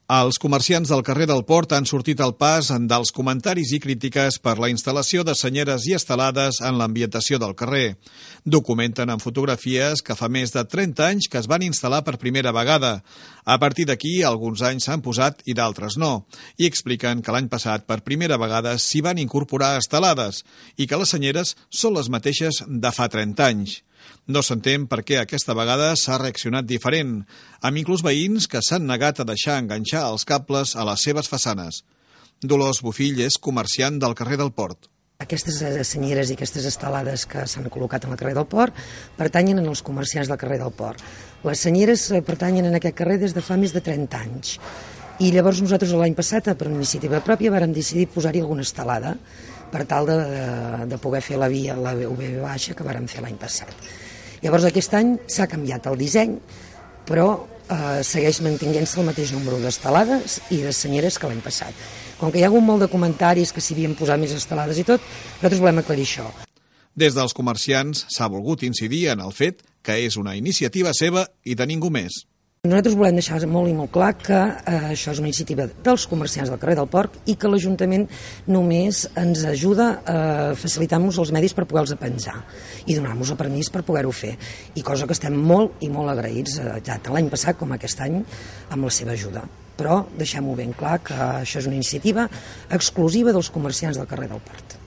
Els comerciants del carrer del Port han sortit al pas dels comentaris i crítiques per la instal·lació de senyeres i estelades en l'ambientació del carrer. Documenten en fotografies que fa més de 30 anys que es van instal·lar per primera vegada. A partir d'aquí, alguns anys s'han posat i d'altres no. I expliquen que l'any passat, per primera vegada, s'hi van incorporar estelades i que les senyeres són les mateixes de fa 30 anys. No s'entén per què aquesta vegada s'ha reaccionat diferent, amb inclús veïns que s'han negat a deixar enganxar els cables a les seves façanes. Dolors Bofill és comerciant del carrer del Port. Aquestes senyeres i aquestes estelades que s'han col·locat al carrer del Port pertanyen als comerciants del carrer del Port. Les senyeres pertanyen en aquest carrer des de fa més de 30 anys. I llavors nosaltres l'any passat, per iniciativa pròpia, vàrem decidir posar-hi alguna estelada per tal de poder fer la via, la UB baixa, que vàrem fer l'any passat. Llavors aquest any s'ha canviat el disseny, però segueix mantenint-se el mateix número d'estelades i de senyeres que l'any passat. Com que hi ha hagut molt de comentaris que s'hi havien posat més estelades i tot, nosaltres volem aclarir això. Des dels comerciants s'ha volgut incidir en el fet que és una iniciativa seva i de ningú més. Nosaltres volem deixar molt i molt clar que això és una iniciativa dels comerciants del carrer del Port i que l'Ajuntament només ens ajuda a facilitar-nos els medis per poder-los penjar i donar-nos el permís per poder-ho fer. I cosa que estem molt i molt agraïts, tant l'any passat com aquest any, amb la seva ajuda. Però deixem-ho ben clar que això és una iniciativa exclusiva dels comerciants del carrer del Port.